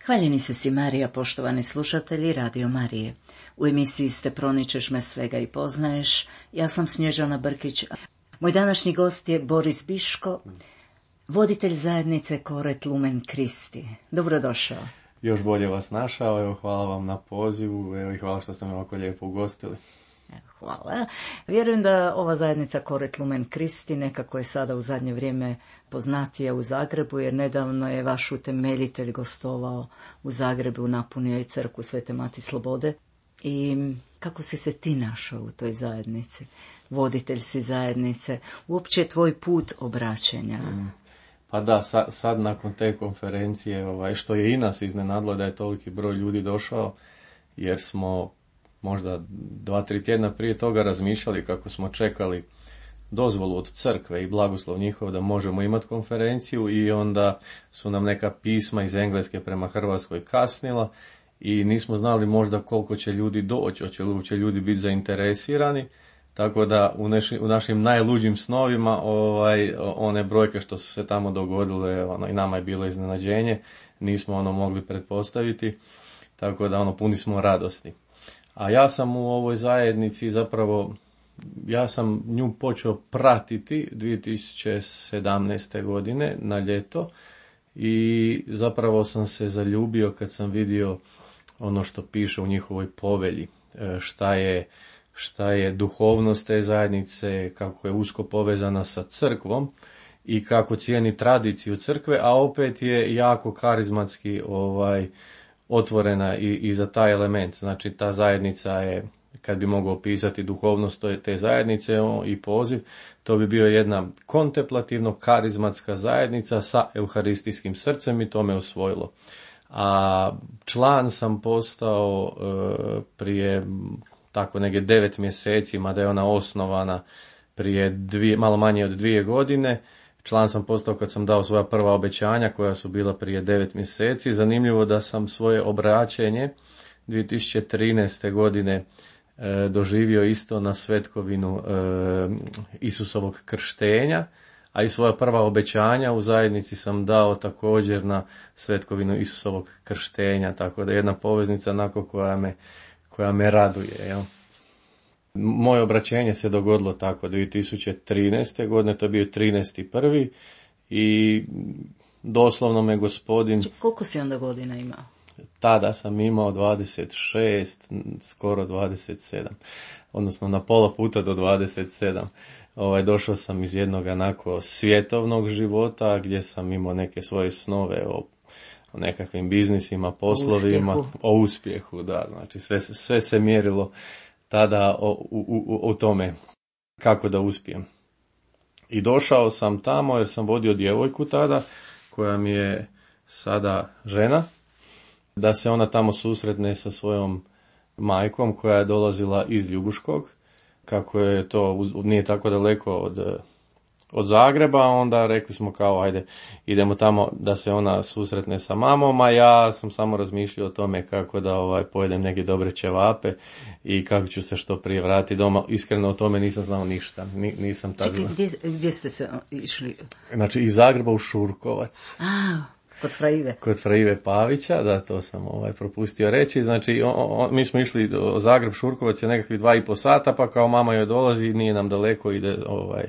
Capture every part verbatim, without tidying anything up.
Hvaljeni se si Marija, poštovani slušatelji Radio Marije. U emisiji Ste proničeš me svega i poznaješ. Ja sam Snježana Brkić. Moj današnji gost je Boris Biško, voditelj zajednice Koret Lumen Kristi. Dobrodošao. Još bolje vas našao, evo, hvala vam na pozivu, evo, i hvala što ste me ovako lijepo ugostili. Hvala. Vjerujem da ova zajednica Koret Lumen Kristi nekako je sada u zadnje vrijeme poznatija u Zagrebu, jer nedavno je vaš utemeljitelj gostovao u Zagrebu, napunio i crkvu Svete Mati Slobode. I kako si se ti našao u toj zajednici? Voditelj si zajednice, uopće tvoj put obraćenja. Mm. Pa da, sad, sad nakon te konferencije, ovaj, što je i nas iznenadilo da je toliki broj ljudi došao, jer smo možda dva, tri tjedna prije toga razmišljali kako smo čekali dozvolu od crkve i blagoslov njihov da možemo imati konferenciju, i onda su nam neka pisma iz Engleske prema Hrvatskoj kasnila i nismo znali možda koliko će ljudi doći, hoće li uopće ljudi biti zainteresirani, tako da u, neši, u našim najluđim snovima ovaj, one brojke što su se tamo dogodile, ono, i nama je bilo iznenađenje, nismo ono mogli pretpostaviti, tako da ono, puni smo radosti. A ja sam u ovoj zajednici zapravo, ja sam nju počeo pratiti dvije tisuće sedamnaeste. godine na ljeto i zapravo sam se zaljubio kad sam vidio ono što piše u njihovoj povelji, šta je, šta je duhovnost te zajednice, kako je usko povezana sa crkvom i kako cijeni tradiciju crkve, a opet je jako karizmatski ovaj, otvorena i, i za taj element. Znači ta zajednica je, kad bi mogao opisati duhovnost te zajednice i poziv, to bi bio jedna kontemplativno karizmatska zajednica sa euharistijskim srcem i to me osvojilo. A član sam postao e, prije tako negdje devet mjeseci, mada je ona osnovana prije dvije, malo manje od dvije godine. Član sam postao kad sam dao svoja prva obećanja koja su bila prije devet mjeseci. Zanimljivo da sam svoje obraćenje dvije tisuće trinaeste. godine e, doživio isto na svetkovinu e, Isusovog krštenja, a i svoja prva obećanja u zajednici sam dao također na svetkovinu Isusovog krštenja, tako da je jedna poveznica onako koja me, koja me raduje, jel? Moje obraćenje se dogodilo tako dvije tisuće trinaeste. godine, to je bio trinaesti prvi i doslovno me gospodin... Koliko si onda godina imao? Tada sam imao dvadeset šest, skoro dvadeset sedam, odnosno na pola puta do dvadeset sedam. Ovaj, došao sam iz jednog onako svjetovnog života gdje sam imao neke svoje snove o, o nekakvim biznisima, poslovima, o uspjehu, o uspjehu da, znači sve, sve se mjerilo tada o, u, u, u tome kako da uspijem. I došao sam tamo jer sam vodio djevojku tada, koja mi je sada žena, da se ona tamo susretne sa svojom majkom koja je dolazila iz Ljubuškog, kako je to nije tako daleko od, od Zagreba, onda rekli smo kao ajde idemo tamo da se ona susretne sa mamom, a ja sam samo razmišljao o tome kako da ovaj pojedem neke dobre ćevape i kako ću se što prije vratiti doma. Iskreno o tome nisam znao ništa, Ni, nisam tad znao. Čekaj, gdje, gdje ste se išli? Znači iz Zagreba u Šurkovac. A, kod Fra Ive. Kod Fra Ive Pavića, da, to sam ovaj propustio reći. Znači, o, o, mi smo išli do Zagreb, Šurkovac je nekakvih dva i po sata, pa kao mama joj dolazi, nije nam daleko, ide ovaj,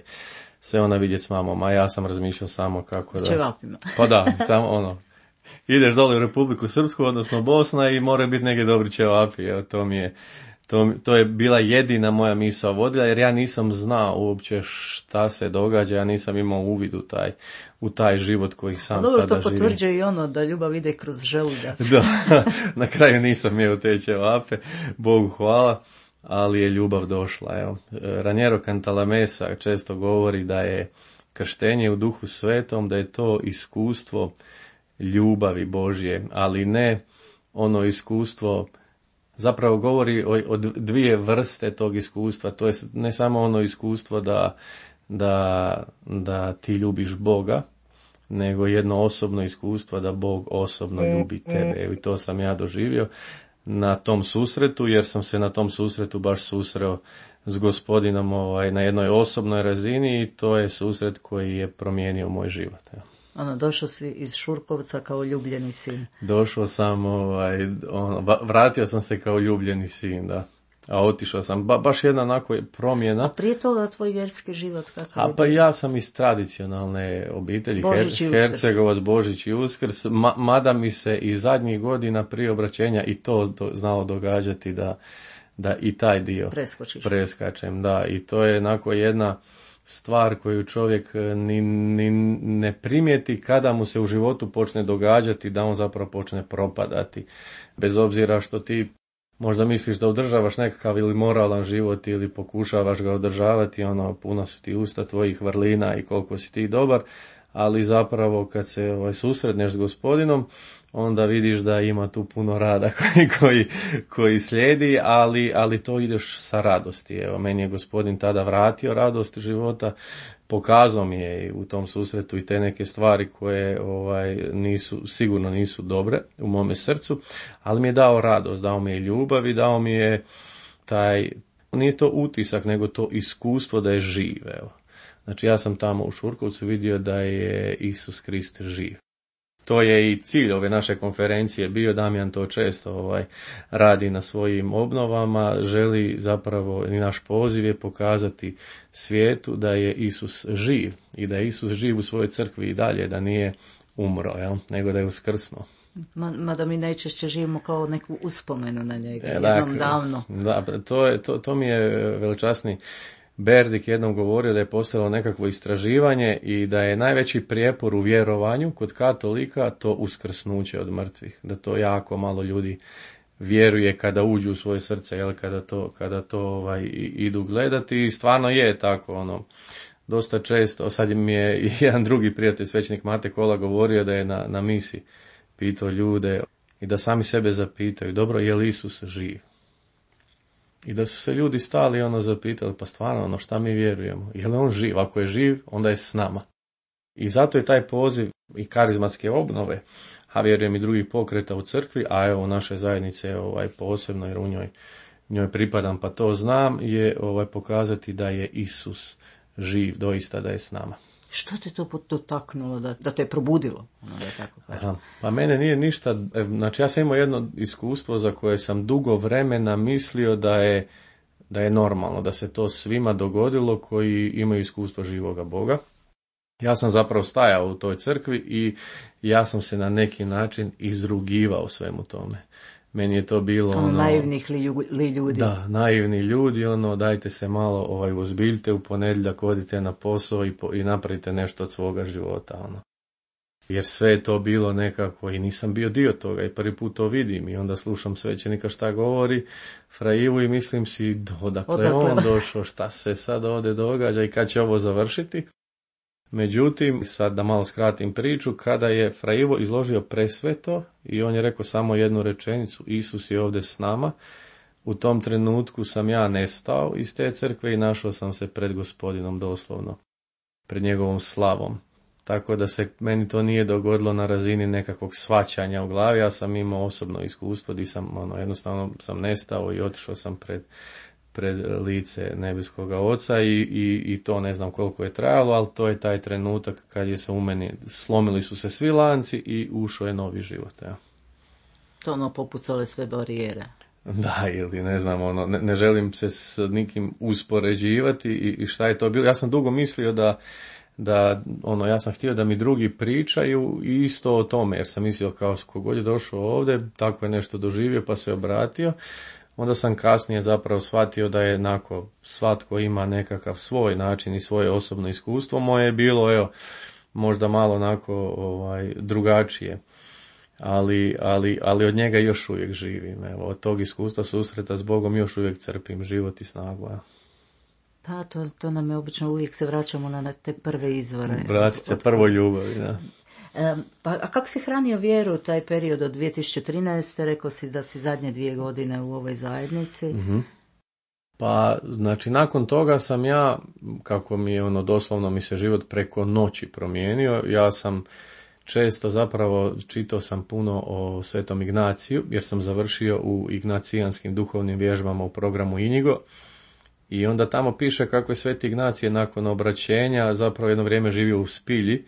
se ona vidjeti s mamom, a ja sam razmišljao samo kako da... Ćevapima. Pa da, samo ono, ideš dole u Republiku Srpsku, odnosno Bosna i mora biti neke dobri ćevapi, evo, to mi je... To, to je bila jedina moja misao vodilja, jer ja nisam znao uopće šta se događa, ja nisam imao uvid u taj, u taj život koji sam dobro, sada živim. Dobro, to potvrđuje i ono da ljubav ide kroz želudac. Da, na kraju nisam jeo te ćevape, Bogu hvala, ali je ljubav došla. Evo. Raniero Cantalamessa često govori da je krštenje u Duhu Svetom, da je to iskustvo ljubavi Božje, ali ne ono iskustvo, zapravo govori o, o dvije vrste tog iskustva, to je ne samo ono iskustvo da, da, da ti ljubiš Boga, nego jedno osobno iskustvo da Bog osobno ljubi tebe. I to sam ja doživio na tom susretu, jer sam se na tom susretu baš susreo s Gospodinom ovaj, na jednoj osobnoj razini i to je susret koji je promijenio moj život. Ja. Ono, došao si iz Šurkovca kao ljubljeni sin. Došao sam, ovaj, ono, vratio sam se kao ljubljeni sin, da. A otišao sam, ba, baš jedna onako promjena. A prije toga tvoj vjerski život kakav je? A pa ja sam iz tradicionalne obitelji, Božić Her, Hercegovac, Božić i Uskrs, ma, mada mi se i zadnjih godina prije obraćenja i to do, znalo događati da, da i taj dio Preskočiš. preskačem. Da, i to je onako jedna stvar koju čovjek ni, ni ne primijeti kada mu se u životu počne događati, da on zapravo počne propadati. Bez obzira što ti možda misliš da održavaš nekakav ili moralan život ili pokušavaš ga održavati, ono, puno su ti usta tvojih vrlina i koliko si ti dobar, ali zapravo kad se ovaj, susretneš s Gospodinom, onda vidiš da ima tu puno rada koji, koji, koji slijedi, ali, ali to ideš sa radosti. Evo, meni je Gospodin tada vratio radost života, pokazao mi je u tom susretu i te neke stvari koje ovaj, nisu, sigurno nisu dobre u mome srcu, ali mi je dao radost, dao mi je ljubav i dao mi je taj, nije to utisak, nego to iskustvo da je živ. Evo. Znači ja sam tamo u Šurkovcu vidio da je Isus Krist živ. To je i cilj ove naše konferencije bio, Damjan to često ovaj, radi na svojim obnovama, želi zapravo, i naš poziv je pokazati svijetu da je Isus živ i da je Isus živ u svojoj crkvi i dalje, da nije umro, jel? Nego da je uskrsnuo. Mada mi najčešće živimo kao neku uspomenu na njega, E, jednom dakle, davno. Da, to, je, to, to mi je veličasni Berdik jednom govorio da je postojalo nekakvo istraživanje i da je najveći prijepor u vjerovanju kod katolika to uskrsnuće od mrtvih. Da to jako malo ljudi vjeruje kada uđu u svoje srce, jel, kada to, kada to ovaj, idu gledati. I stvarno je tako, ono, dosta često. Sad mi je jedan drugi prijatelj, svećenik Mate Kola, govorio da je na, na misi pitao ljude i da sami sebe zapitaju, dobro, je li Isus živ? I da su se ljudi stali ono zapitali, pa stvarno, ono, šta mi vjerujemo? Je li on živ? Ako je živ, onda je s nama. I zato je taj poziv i karizmatske obnove, a vjerujem i drugih pokreta u crkvi, a evo naše zajednice ovaj, posebno, jer u njoj, njoj pripadam, pa to znam, je ovaj, pokazati da je Isus živ, doista da je s nama. Što te to dotaknulo, da, da te je probudilo? Ono da je tako Aha, pa mene nije ništa, znači ja sam imao jedno iskustvo za koje sam dugo vremena mislio da je, da je normalno, da se to svima dogodilo koji imaju iskustvo živoga Boga. Ja sam zapravo stajao u toj crkvi i ja sam se na neki način izrugivao svemu tome. Meni je to bilo ono... naivnih li, li ljudi. Da, naivni ljudi, ono, dajte se malo ovaj, uzbiljte, u ponedjeljak odite na posao i, po, i napravite nešto od svoga života, ono. Jer sve je to bilo nekako i nisam bio dio toga i prvi put to vidim i onda slušam svećenika šta govori, Fra Ivu, i mislim si, odakle, odakle on došao, šta se sad ovdje događa i kad će ovo završiti. Međutim, sad da malo skratim priču, kada je Fra Ivo izložio presveto i on je rekao samo jednu rečenicu, Isus je ovdje s nama, u tom trenutku sam ja nestao iz te crkve i našao sam se pred Gospodinom doslovno, pred njegovom slavom. Tako da se meni to nije dogodilo na razini nekakvog shvaćanja u glavi, ja sam imao osobno iskustvo gdje sam, ono, jednostavno sam nestao i otišao sam pred pred lice nebeskoga Oca i, i, i to ne znam koliko je trajalo, ali to je taj trenutak kad je se u meni, slomili su se svi lanci i ušao je novi život. Ja. To ono popucale sve barijere. Da, ili ne znam, ono, ne, ne želim se s nikim uspoređivati i, i šta je to bilo. Ja sam dugo mislio da, da, ono, ja sam htio da mi drugi pričaju isto o tome, jer sam mislio kao kogod je došao ovdje, tako je nešto doživio pa se obratio. Onda sam kasnije zapravo shvatio da je jednako svatko ima nekakav svoj način i svoje osobno iskustvo. Moje je bilo, evo, možda malo onako ovaj, drugačije, ali, ali, ali od njega još uvijek živim. Evo, od tog iskustva susreta s Bogom još uvijek crpim život i snagu. Ja. Pa to, to nam je obično, uvijek se vraćamo na te prve izvore. Vratit se prvoj ljubavi, da. E, pa, a kako si hranio vjeru taj period od dvije tisuće trinaeste. Rekao si da si zadnje dvije godine u ovoj zajednici. Mm-hmm. Pa, znači, nakon toga sam ja, kako mi je ono, doslovno mi se život preko noći promijenio, ja sam često zapravo čitao sam puno o Svetom Ignaciju, jer sam završio u ignacijanskim duhovnim vježbama u programu Inigo. I onda tamo piše kako je Sveti Ignacije nakon obraćenja zapravo jedno vrijeme živio u spilji.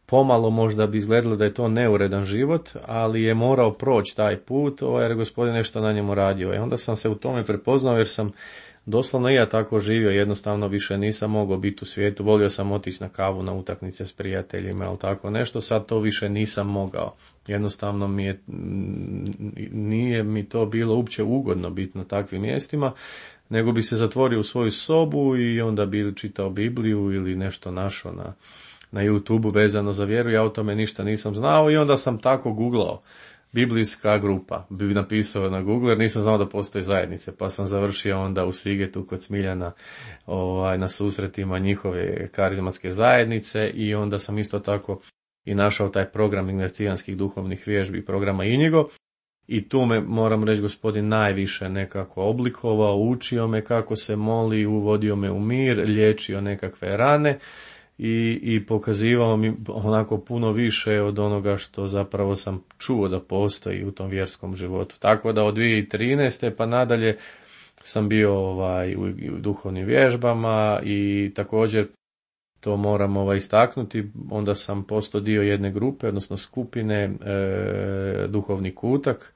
Pomalo možda bi izgledalo da je to neuredan život, ali je morao proći taj put, jer je Gospodin nešto na njemu radio. I onda sam se u tome prepoznao, jer sam doslovno i ja tako živio, jednostavno više nisam mogao biti u svijetu. Volio sam otići na kavu, na utakmice s prijateljima, ali tako nešto, sad to više nisam mogao. Jednostavno mi je, nije mi to bilo uopće ugodno biti na takvim mjestima, nego bi se zatvorio u svoju sobu i onda bi čitao Bibliju ili nešto našao na, na YouTubeu vezano za vjeru. Ja o tome ništa nisam znao i onda sam tako googlao biblijska grupa. Bi napisao na Google jer nisam znao da postoji zajednice, pa sam završio onda u Svigetu kod Smiljana ovaj, na susretima njihove karizmatske zajednice i onda sam isto tako i našao taj program ignacijanskih duhovnih vježbi, programa Inigo. I tu me, moram reći, Gospodin najviše nekako oblikovao, učio me kako se moli, uvodio me u mir, liječio nekakve rane i, i pokazivao mi onako puno više od onoga što zapravo sam čuo da postoji u tom vjerskom životu. Tako da od dvije tisuće trinaeste pa nadalje sam bio ovaj, u, u duhovnim vježbama i također to moram ovaj, istaknuti, onda sam postao dio jedne grupe, odnosno skupine e, Duhovni kutak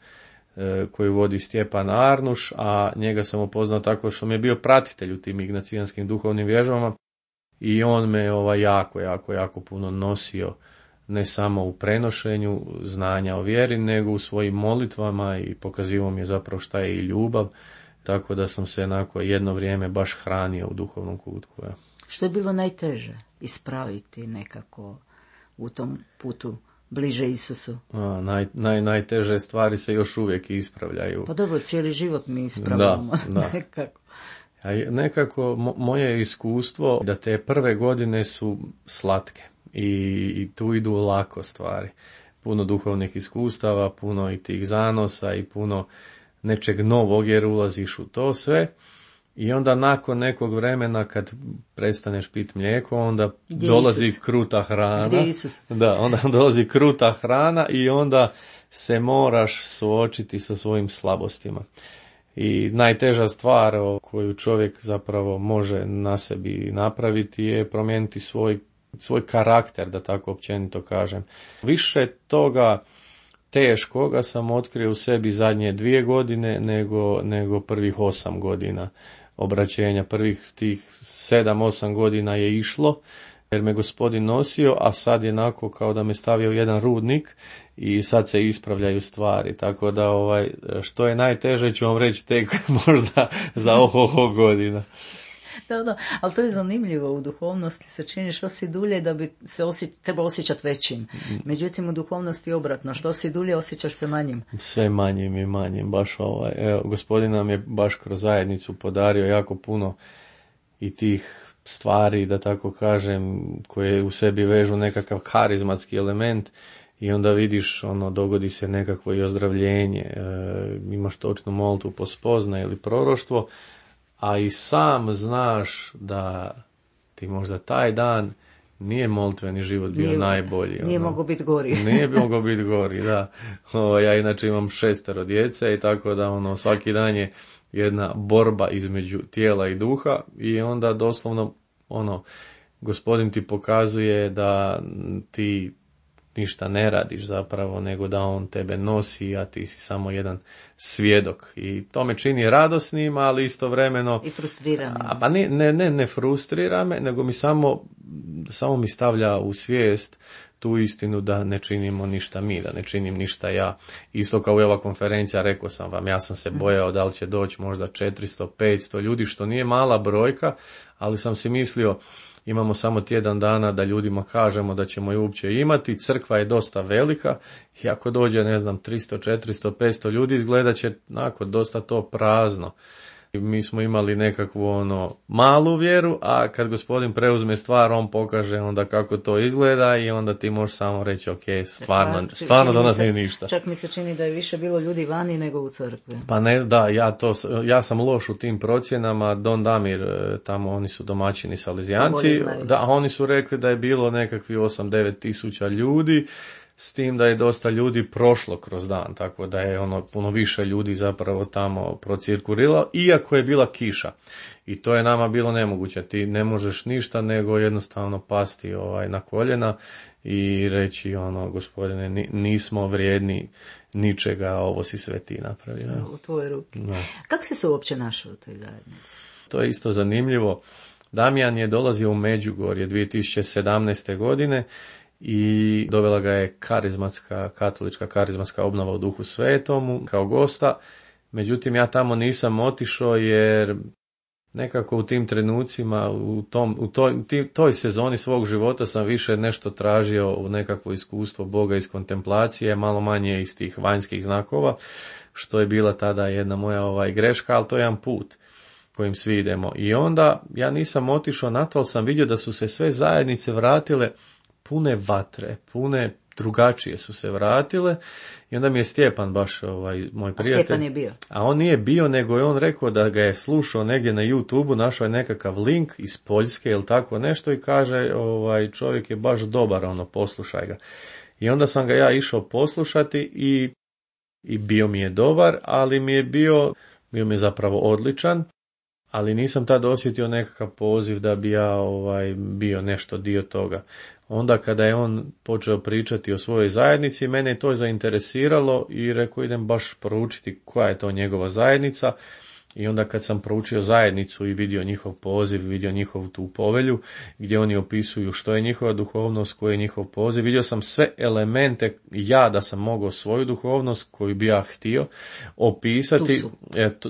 e, koju vodi Stjepan Arnuš, a njega sam upoznao tako što mi je bio pratitelj u tim ignacijanskim duhovnim vježbama i on me ovaj, jako, jako, jako puno nosio, ne samo u prenošenju znanja o vjeri, nego u svojim molitvama i pokazivao mi je zapravo šta je i ljubav, tako da sam se onako jedno vrijeme baš hranio u duhovnom kutku. Ja. Što je bilo najteže ispraviti nekako u tom putu bliže Isusu? A, naj, naj, najteže stvari se još uvijek ispravljaju. Pa dobro, cijeli život mi ispravljamo. Da, da. nekako. A nekako mo, moje iskustvo da te prve godine su slatke i, i tu idu lako stvari. Puno duhovnih iskustava, puno i tih zanosa i puno nečeg novog jer ulaziš u to sve. I onda nakon nekog vremena kad prestaneš piti mlijeko, onda Gdje dolazi Isus? kruta hrana. Gdje Isus? Da, onda dolazi kruta hrana i onda se moraš suočiti sa svojim slabostima. I najteža stvar koju čovjek zapravo može na sebi napraviti je promijeniti svoj, svoj karakter, da tako općenito kažem. Više toga teškoga sam otkrio u sebi zadnje dvije godine nego, nego prvih osam godina obraćenja. Prvih tih sedam, osam godina je išlo jer me Gospodin nosio, a sad je onako kao da me stavio u jedan rudnik i sad se ispravljaju stvari. Tako da ovaj, što je najteže ću vam reći tek možda za oho godina. Da, da, ali to je zanimljivo, u duhovnosti se čini što si dulje da bi se osje... treba osjećati većim. Međutim, u duhovnosti je obratno, što si dulje osjećaš se manjim. Sve manjim i manjim, baš ovaj. Evo, Gospodin nam je baš kroz zajednicu podario jako puno i tih stvari, da tako kažem, koje u sebi vežu nekakav karizmatski element i onda vidiš, ono, dogodi se nekakvo i ozdravljenje, e, imaš točnu molitvu po spoznaji ili proroštvo, a i sam znaš da ti možda taj dan nije molitveni život bio nije, najbolji. Nije ono. mogao biti gori. Nije mogao biti gori, da. O, ja inače imam šestero djece i tako da ono, svaki dan je jedna borba između tijela i duha i onda doslovno ono, Gospodin ti pokazuje da ti ništa ne radiš zapravo, nego da on tebe nosi, a ti si samo jedan svjedok. I to me čini radosnim, ali istovremeno... I frustriranim. A, pa ne, ne, ne, ne frustrira me, nego mi samo, samo mi stavlja u svijest tu istinu da ne činimo ništa mi, da ne činim ništa ja. Isto kao i ova konferencija, rekao sam vam, ja sam se bojao da li će doći možda četiristo, petsto ljudi, što nije mala brojka, ali sam si mislio, imamo samo tjedan dana da ljudima kažemo da ćemo je uopće imati, crkva je dosta velika i ako dođe, ne znam, tristo, četiristo, petsto ljudi, izgledat će onako dosta to prazno. Mi smo imali nekakvu ono malu vjeru, a kad gospodin preuzme stvar, on pokaže onda kako to izgleda i onda ti možeš samo reći ok, stvarno, Pa, stvarno do nas se, nije ništa. Čak mi se čini da je više bilo ljudi vani nego u crkvi. Pa ne, da, ja, to, ja sam loš u tim procjenama. Don Damir, tamo oni su domaćini Salezijanci, da, oni su rekli da je bilo nekakvi osam devet tisuća ljudi, s tim da je dosta ljudi prošlo kroz dan, tako da je ono puno više ljudi zapravo tamo procirkuliralo, iako je bila kiša. I to je nama bilo nemoguće, ti ne možeš ništa nego jednostavno pasti ovaj na koljena i reći ono, gospodine, nismo vrijedni ničega, ovo si sve ti napravio. U tvoje ruke. Da. Kako si se uopće našao u toj zajednici? To je isto zanimljivo. Damjan je dolazio u Međugorje dvije tisuće sedamnaeste. godine i dovela ga je karizmatska, katolička karizmatska obnova u Duhu Svetomu kao gosta. Međutim, ja tamo nisam otišao jer nekako u tim trenucima, u, tom, u toj, tim, toj sezoni svog života sam više nešto tražio u nekakvo iskustvo Boga iz kontemplacije, malo manje iz tih vanjskih znakova, što je bila tada jedna moja ovaj, greška, ali to je jedan put kojim svi idemo. I onda ja nisam otišao na to, ali sam vidio da su se sve zajednice vratile pune vatre, pune drugačije su se vratile i onda mi je Stjepan baš ovaj, moj prijatelj. A Stjepan je bio? A on nije bio, nego je on rekao da ga je slušao negdje na YouTubeu, našao je nekakav link iz Poljske ili tako nešto i kaže ovaj, čovjek je baš dobar, ono, poslušaj ga. I onda sam ga ja išao poslušati i, i bio mi je dobar, ali mi je bio, bio mi je zapravo odličan. Ali nisam tad osjetio nekakav poziv da bi ja ovaj, bio nešto dio toga. Onda kada je on počeo pričati o svojoj zajednici, mene je to zainteresiralo i rekao idem baš proučiti koja je to njegova zajednica. I onda kad sam proučio zajednicu i vidio njihov poziv, vidio njihovu tu povelju, gdje oni opisuju što je njihova duhovnost, koji je njihov poziv, vidio sam sve elemente, ja da sam mogao svoju duhovnost koju bi ja htio opisati,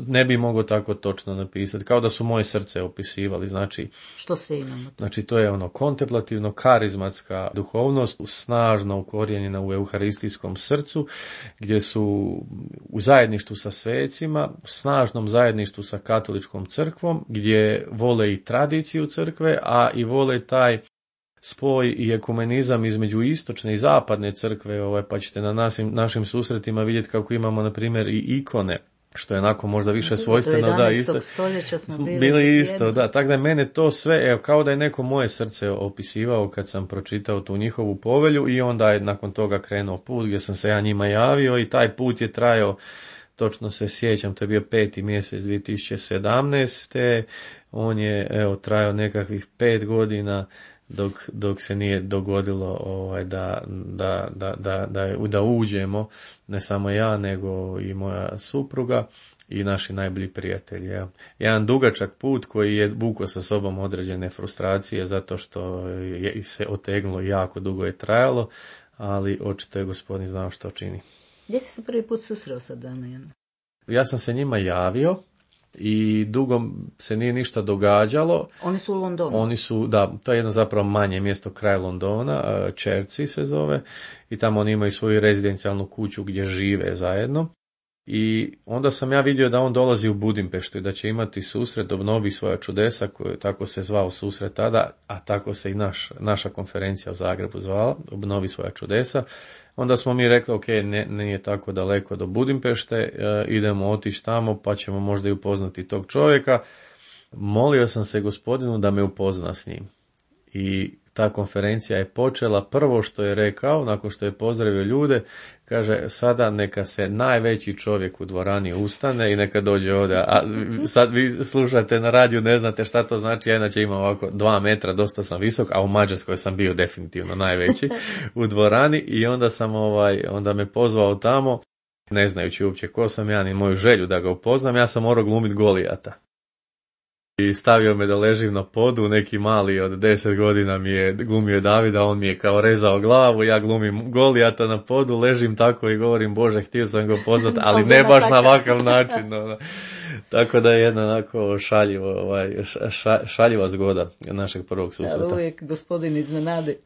ne bi mogao tako točno napisati, kao da su moje srce opisivali, znači, što sve imamo? Znači to je ono kontemplativno, karizmatska duhovnost, snažno ukorijenjena u euharistijskom srcu, gdje su u zajedništvu sa svecima, u snažnom zajedništvu sa katoličkom crkvom, gdje vole i tradiciju crkve, a i vole taj spoj i ekumenizam između istočne i zapadne crkve, ovaj, pa ćete na našim, našim susretima vidjeti kako imamo, na primjer, i ikone, što je onako možda više svojstveno, da, isto, stoljeća smo bili, bili isto, da, tako da mene to sve, evo, kao da je neko moje srce opisivao kad sam pročitao tu njihovu povelju i onda je nakon toga krenuo put gdje sam se ja njima javio i taj put je trajao, točno se sjećam, to je bio peti mjesec dvije tisuće sedamnaeste. On je, evo, trajao nekakvih pet godina dok, dok se nije dogodilo ovaj, da, da, da, da, da, da uđemo, ne samo ja, nego i moja supruga i naši najbolji prijatelji. Ja. Jedan dugačak put koji je vukao sa sobom određene frustracije zato što je se otegnulo, jako dugo je trajalo, ali očito je gospodin znao što čini. Gdje si se prvi put susreo sa Damjanom? Ja sam se njima javio i dugo se nije ništa događalo. Oni su u Londonu? Oni su, da, to je jedno zapravo manje mjesto kraj Londona, Chertsey se zove, i tamo oni imaju svoju rezidencijalnu kuću gdje žive zajedno. I onda sam ja vidio da on dolazi u Budimpeštu i da će imati susret, obnovi svoja čudesa, koje tako se zvao susret tada, a tako se i naš, naša konferencija u Zagrebu zvala, obnovi svoja čudesa. Onda smo mi rekli, ok, ne, nije tako daleko do Budimpešte, e, idemo otići tamo pa ćemo možda i upoznati tog čovjeka. Molio sam se gospodinu da me upozna s njim. I ta konferencija je počela, prvo što je rekao, nakon što je pozdravio ljude, kaže, sada neka se najveći čovjek u dvorani ustane i neka dođe ovdje. A sad vi slušate na radiju, ne znate šta to znači, ja inače imam ovako dva metra, dosta sam visok, a u Mađarskoj sam bio definitivno najveći u dvorani i onda sam ovaj, onda me pozvao tamo, ne znajući uopće ko sam ja, ni moju želju da ga upoznam, ja sam morao glumiti Golijata. I stavio me da ležim na podu, neki mali od deset godina mi je glumio Davida, on mi je kao rezao glavu, ja glumim Golijata na podu, ležim tako i govorim, Bože, htio sam ga poznat, ali ne baš na ovakav način. No. Tako da je jedna onako šaljivo, ovaj, ša, šaljiva zgoda našeg prvog susreta. Ali uvijek gospodin iznenadi.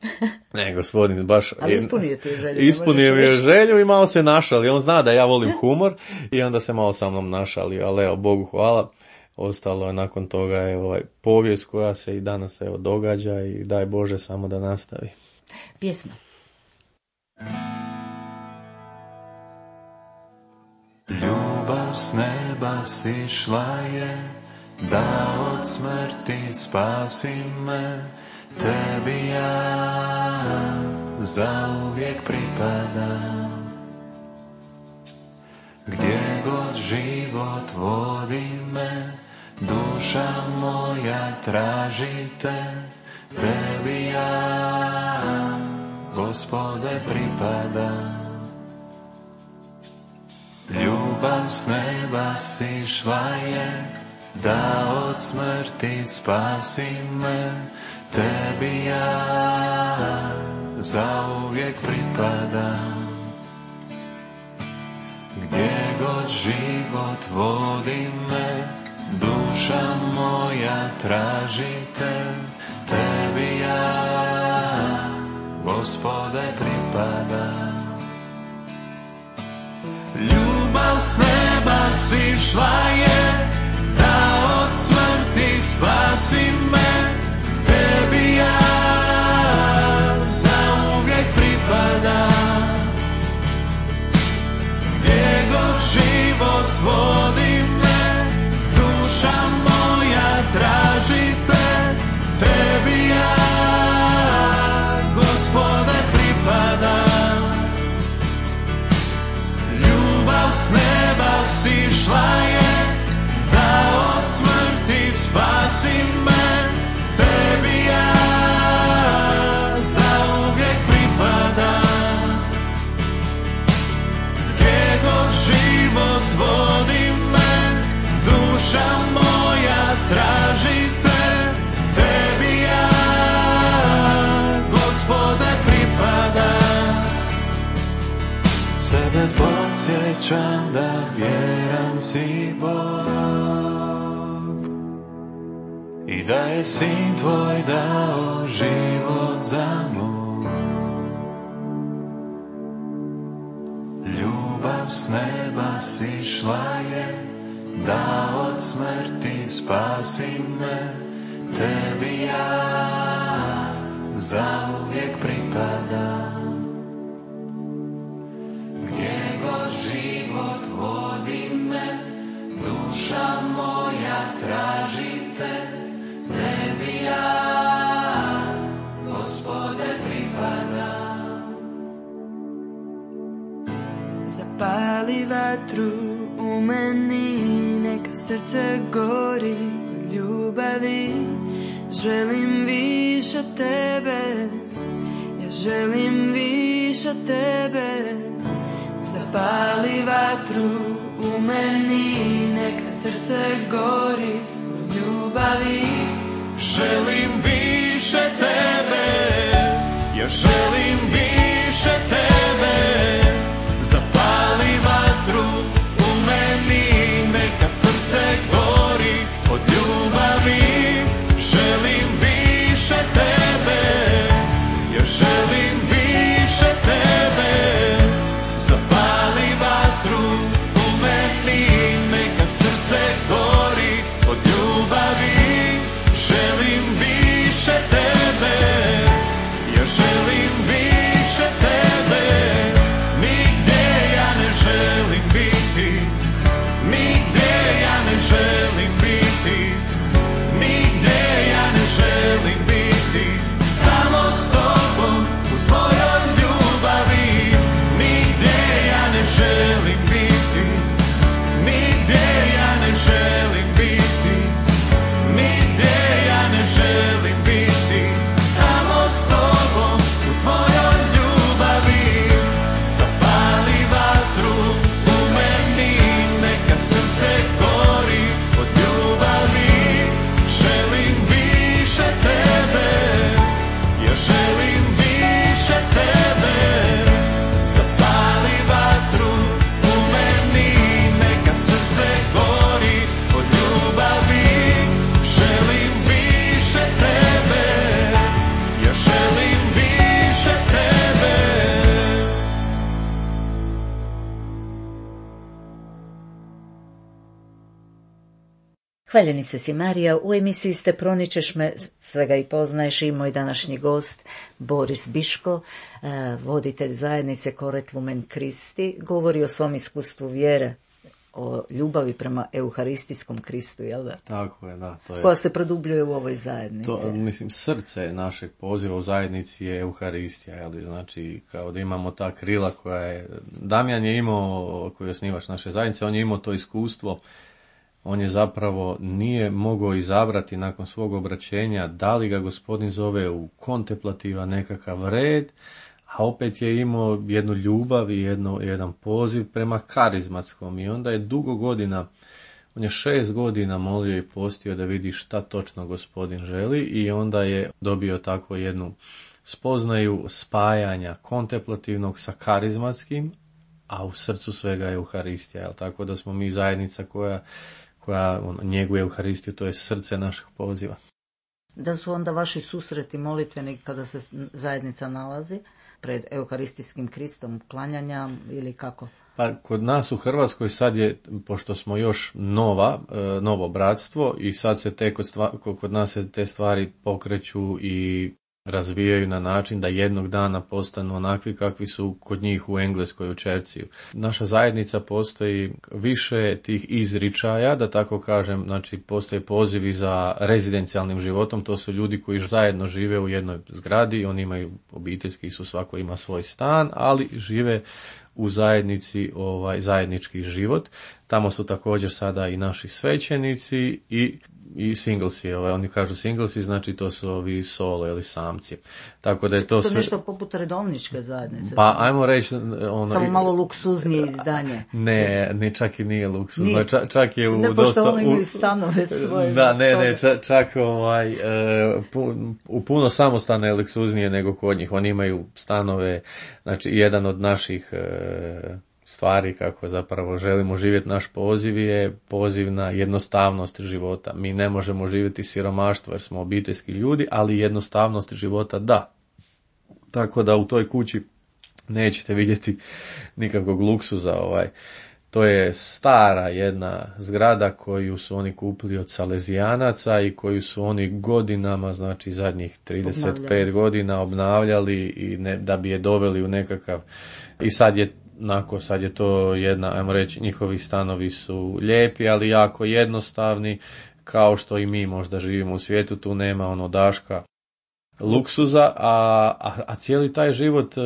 Ne, gospodin baš... Ali ispunio ti želju. Ispunio mi je želju i malo se našali. On zna da ja volim humor i onda se malo sa mnom našali, ali evo, Bogu hvala. ostalo je nakon toga je ovaj povijest koja se i danas evo događa i daj Bože samo da nastavi. Pjesma. Ljubav s neba sišla je, da od smrti spasi me, tebi ja zauvijek pripadam. Gdje god život vodi me, duša moja traži te, tebi ja, Gospode, pripadam. Ljubav s neba sišla je, da od smrti spasi me, tebi ja zauvijek pripadam. Gdje god život vodi me, duša moja traži te, tebi ja, Gospode, pripadam. Ljubav s neba sišla je, da od smrti spasi me, tebi ja zauvijek pripadam. Gdje god život vodi me, duša moja traži te, tebi ja, Gospode, pripadam. Ljubav s neba sišla je, da od smrti spasi me, tebi ja zauvijek pripadam. Gdje god život vodi me, duša moja traži te, tebi ja, Gospode, pripadam. Sebe podsjećam da vjeran si Bog i da je Sin tvoj dao život za moj. Ljubav s neba sišla je, da od smrti spasi me, tebi ja zauvijek pripadam. Gdje god život vodi me, duša moja traži te, tebi ja, Gospode, pripadam. Zapali vatru u meni, neka srce gori od ljubavi. Želim više tebe, ja želim više tebe. Zapali vatru u meni, neka srce gori od ljubavi. Želim više tebe, ja želim više tebe. Zapali vatru u meni, neka srce gori od ljubavi. Želim više tebe, ja želim više tebe. Zapali vatru u meni, neka srce gori od ljubavi. Želim više tebe, ja želim više Hvaljeni se si Marija, u emisiji Ste proničeš me, svega i poznaješ, i moj današnji gost Boris Biško, voditelj zajednice Coret Lumen Christi, govori o svom iskustvu vjere, o ljubavi prema euharistijskom Kristu, jel da? Tako je, da. To je, koja se produbljuje u ovoj zajednici. To, mislim, srce našeg poziva u zajednici je Euharistija, jel? Znači, kao da imamo ta krila koja je... Damjan je imao, koji je osnivač naše zajednice, on je imao to iskustvo. On je zapravo nije mogao izabrati nakon svog obraćenja da li ga Gospodin zove u kontemplativan nekakav red, a opet je imao jednu ljubav i jedno, jedan poziv prema karizmatskom. I onda je dugo godina, on je šest godina molio i postio da vidi šta točno Gospodin želi, i onda je dobio tako jednu spoznaju spajanja kontemplativnog sa karizmatskim, a u srcu svega je Euharistija. Jel? Tako da smo mi zajednica koja koja ono, njeguje Euharistiju, to je srce našeg poziva. Da su onda vaši susreti molitveni kada se zajednica nalazi pred Euharistijskim Kristom, klanjanja ili kako? Pa kod nas u Hrvatskoj sad je, pošto smo još nova, novo bratstvo, i sad se te kod, stva, kod nas se te stvari pokreću i razvijaju na način da jednog dana postanu onakvi kakvi su kod njih u Engleskoj, u Čerciju. Naša zajednica postoji više tih izričaja, da tako kažem, znači postoje pozivi za rezidencijalnim životom, to su ljudi koji zajedno žive u jednoj zgradi, oni imaju obiteljski, su svako ima svoj stan, ali žive u zajednici, ovaj zajednički život. Tamo su također sada i naši svećenici i i singlesi, ovaj, oni kažu singlesi, znači to su ovi solo ili samci. Tako da je to, to sve... nešto poput redovničke zajednice. Pa ajmo reći ono, samo malo luksuznije izdanje. Ne, ne, čak i nije luksuzno. Ča, čak je u ne, dosta oni imaju stanove svoje. Da, ne, ne, čak, čak ovaj uh, pu, u puno samostana je luksuznije nego kod njih. Oni imaju stanove, znači jedan od naših uh, stvari kako zapravo želimo živjeti, naš poziv je poziv na jednostavnost života. Mi ne možemo živjeti siromaštvo jer smo obiteljski ljudi, ali jednostavnost života da. Tako da u toj kući nećete vidjeti nikakvog luksuza. Ovaj. To je stara jedna zgrada koju su oni kupili od Salezijanaca i koju su oni godinama, znači zadnjih trideset pet obnavljali. godina obnavljali i ne, da bi je doveli u nekakav... I sad je Nako, sad je to jedna, ajmo reći, njihovi stanovi su lijepi, ali jako jednostavni, kao što i mi možda živimo u svijetu, tu nema ono daška luksuza, a, a, a cijeli taj život e,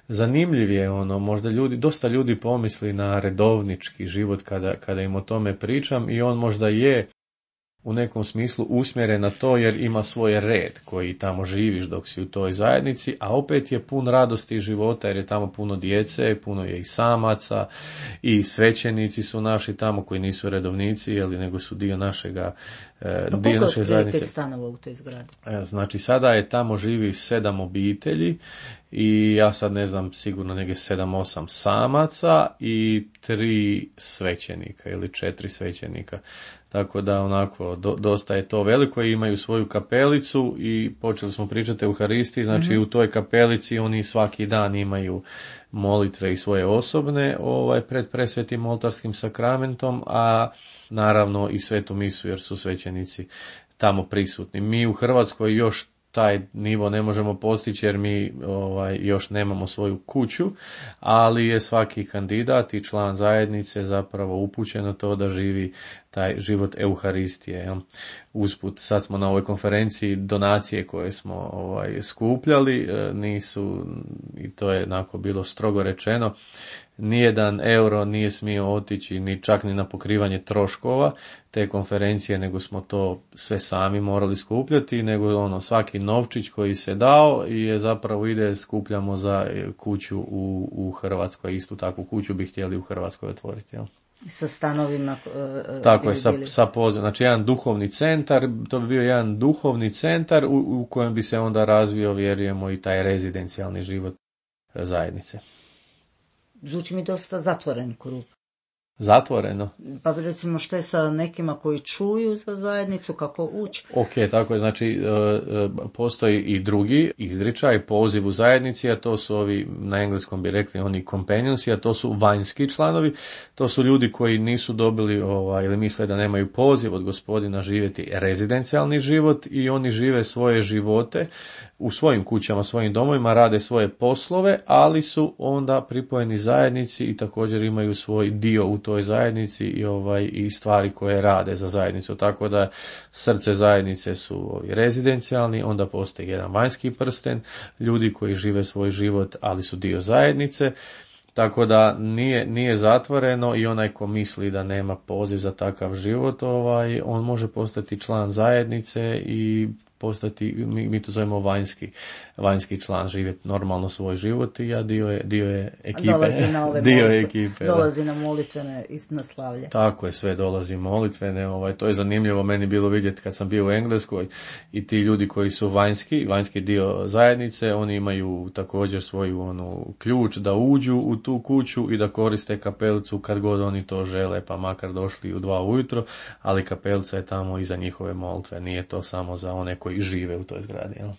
zanimljiv je, ono, možda ljudi, dosta ljudi pomisli na redovnički život kada, kada im o tome pričam, i on možda je u nekom smislu usmjeren na to jer ima svoj red koji tamo živiš dok si u toj zajednici, a opet je pun radosti života jer je tamo puno djece, puno je i samaca, i svećenici su naši tamo koji nisu redovnici, jeli, nego su dio našega no, dio naše zajednice. Koliko je stanova u toj zgradi? Znači sada je tamo živi sedam obitelji i ja sad ne znam, sigurno negdje sedam, osam samaca i tri svećenika ili četiri svećenika. Tako da onako do, dosta je to veliko i imaju svoju kapelicu i počeli smo pričati o Euharistiji, znači mm-hmm. u toj kapelici oni svaki dan imaju molitve i svoje osobne ovaj, pred presvetim oltarskim sakramentom, a naravno i svetu misu jer su svećenici tamo prisutni. Mi u Hrvatskoj još taj nivo ne možemo postići jer mi ovaj, još nemamo svoju kuću, ali je svaki kandidat i član zajednice zapravo upućen na to da živi taj život Euharistije. Jel? Usput, sad smo na ovoj konferenciji, donacije koje smo ovaj, skupljali nisu, i to je onako bilo strogo rečeno, nijedan euro nije smio otići ni čak ni na pokrivanje troškova te konferencije, nego smo to sve sami morali skupljati, nego ono svaki novčić koji se dao je zapravo ide, skupljamo za kuću u, u Hrvatskoj, istu takvu kuću bi htjeli u Hrvatskoj otvoriti. Jel? Sa stanovima. Uh, Tako je, sa, sa poziv, znači jedan duhovni centar, to bi bio jedan duhovni centar u, u kojem bi se onda razvio, vjerujemo, i taj rezidencijalni život zajednice. Zvuči mi dosta zatvoren krug. Zatvoreno. Pa recimo što je sa nekima koji čuju za zajednicu, kako ući? Ok, tako je, znači postoji i drugi izričaj, poziv u zajednici, a to su ovi, na engleskom bi rekli oni companionsi, a to su vanjski članovi, to su ljudi koji nisu dobili ovaj, ili misle da nemaju poziv od Gospodina živjeti rezidencijalni život i oni žive svoje živote u svojim kućama, svojim domovima, rade svoje poslove, ali su onda pripojeni zajednici i također imaju svoj dio u toj zajednici i ovaj i stvari koje rade za zajednicu. Tako da srce zajednice su ovi rezidencijalni, onda postoji jedan vanjski prsten, ljudi koji žive svoj život, ali su dio zajednice. Tako da nije, nije zatvoreno i onaj ko misli da nema poziv za takav život, ovaj, on može postati član zajednice i postati, mi, mi to zovemo vanjski, vanjski član, živjeti normalno svoj život i ja dio je, dio je ekipe. Dolazi na ove dio molitve, ekipe, dolazi na molitvene i na slavlje. Tako je, sve dolazi molitvene, ovaj, to je zanimljivo meni bilo vidjeti kad sam bio u Engleskoj i ti ljudi koji su vanjski, vanjski dio zajednice, oni imaju također svoju onu ključ da uđu u tu kuću i da koriste kapelicu kad god oni to žele, pa makar došli u dva ujutro, ali kapelica je tamo iza njihove molitve, nije to samo za one koji žive u toj zgradi, jel?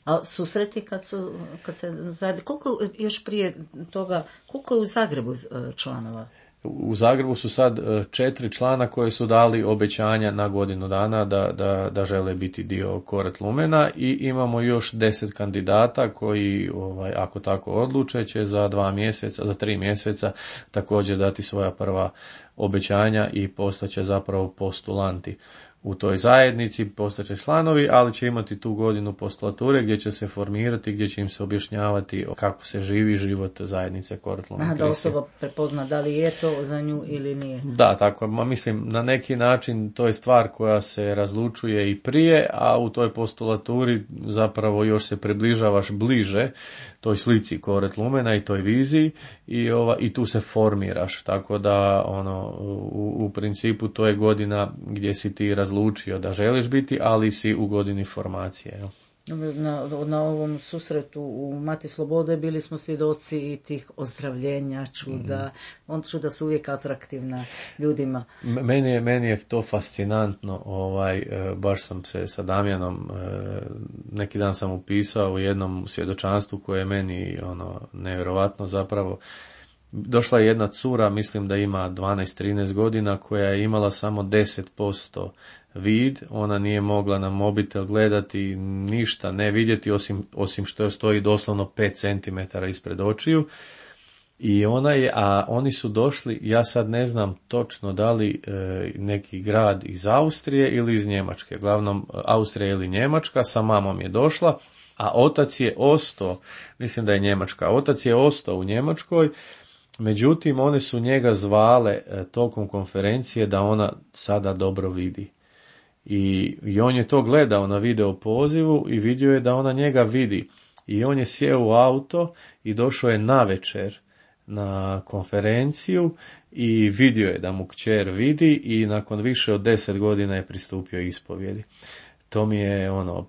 A susreti kad su, kad se zajedno, koliko još prije toga, koliko je u Zagrebu članova? U Zagrebu su sad četiri člana koji su dali obećanja na godinu dana da, da, da žele biti dio Koret Lumena i imamo još deset kandidata koji, ovaj, ako tako odluče, će za dva mjeseca, za tri mjeseca također dati svoja prva obećanja i postaće zapravo postulanti u toj zajednici, postaće članovi, ali će imati tu godinu postulature gdje će se formirati, gdje će im se objašnjavati kako se živi život zajednice Koret Lumen Kristi. Da osoba prepozna da li je to za nju ili nije. Da, tako, ma mislim, na neki način to je stvar koja se razlučuje i prije, a u toj postulaturi zapravo još se približavaš bliže toj slici Koret Lumena i toj viziji i, ova, i tu se formiraš, tako da ono, u, u principu to je godina gdje si ti razlučio da želiš biti, ali si u godini formacije. Jel? Na, na ovom susretu u Mati Slobode bili smo svjedoci i tih ozdravljenja, čuda. Mm. On čuda su uvijek atraktivna ljudima. Meni je, meni je to fascinantno. Ovaj, baš sam se sa Damjanom, neki dan sam upisao u jednom svjedočanstvu koje je meni ono, nevjerovatno zapravo. Došla je jedna cura, mislim da ima dvanaest trinaest godina, koja je imala samo deset posto vid, ona nije mogla na mobitel gledati, ništa ne vidjeti, osim, osim što stoji doslovno pet centimetara ispred očiju. I ona je, a oni su došli, ja sad ne znam točno da li e, neki grad iz Austrije ili iz Njemačke, glavnom Austrija ili Njemačka, sa mamom je došla, a otac je ostao, mislim da je Njemačka, otac je ostao u Njemačkoj. Međutim, one su njega zvale e, tokom konferencije da ona sada dobro vidi. I, I on je to gledao na video pozivu i vidio je da ona njega vidi. I on je sjeo u auto i došao je navečer na konferenciju i vidio je da mu kćer vidi i nakon više od deset godina je pristupio ispovjedi. To mi je ono,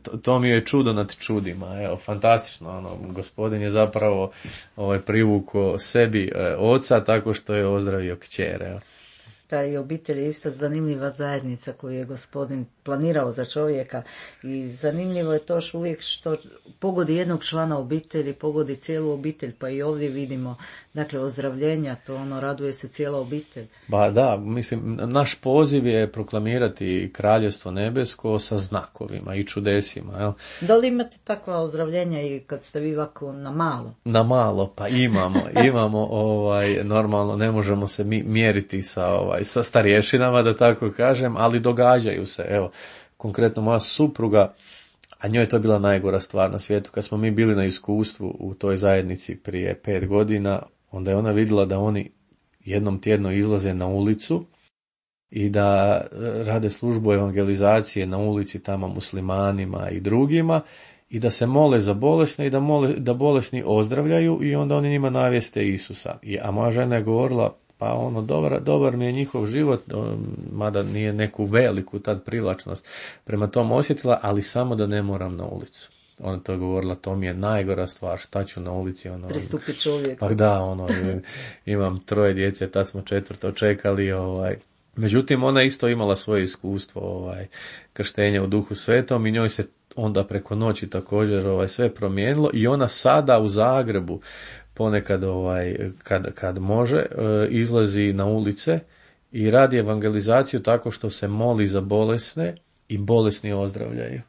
to, to mi je čudo nad čudima, evo, fantastično, ono, gospodin je zapravo ovaj, privukao sebi e, oca tako što je ozdravio kćer, evo. Ta i obitelj je isto zanimljiva zajednica koju je gospodin planirao za čovjeka i zanimljivo je to što uvijek što pogodi jednog člana obitelji, pogodi cijelu obitelj, pa i ovdje vidimo, dakle, ozdravljenja, to ono, raduje se cijela obitelj. Ba da, mislim, naš poziv je proklamirati kraljevstvo nebesko sa znakovima i čudesima, jel? Da li imate takva ozdravljenja i kad ste vi ovako na malo? Na malo, pa imamo, imamo, ovaj, normalno ne možemo se mi mjeriti sa, ovaj, sa starješinama, da tako kažem, ali događaju se, evo, konkretno moja supruga, a njoj je to bila najgora stvar na svijetu, kad smo mi bili na iskustvu u toj zajednici prije pet godina, onda je ona vidjela da oni jednom tjedno izlaze na ulicu i da rade službu evangelizacije na ulici tamo muslimanima i drugima i da se mole za bolesne i da, mole, da bolesni ozdravljaju i onda oni njima navijeste Isusa. I, a moja žena je govorila, pa ono, dobar, dobar mi je njihov život, mada nije neku veliku tad privlačnost prema tom osjetila, ali samo da ne moram na ulicu. ona to govorila, to mi je najgora stvar, šta ću na ulici, ono, pristupi čovjeku. Pa da, ono, imam troje djece, tad smo četvrto čekali, ovaj, međutim, ona isto imala svoje iskustvo, ovaj, krštenja u Duhu Svetom i njoj se onda preko noći također ovaj, sve promijenilo i ona sada u Zagrebu ponekad ovaj, kad, kad može izlazi na ulice i radi evangelizaciju tako što se moli za bolesne i bolesni ozdravljaju.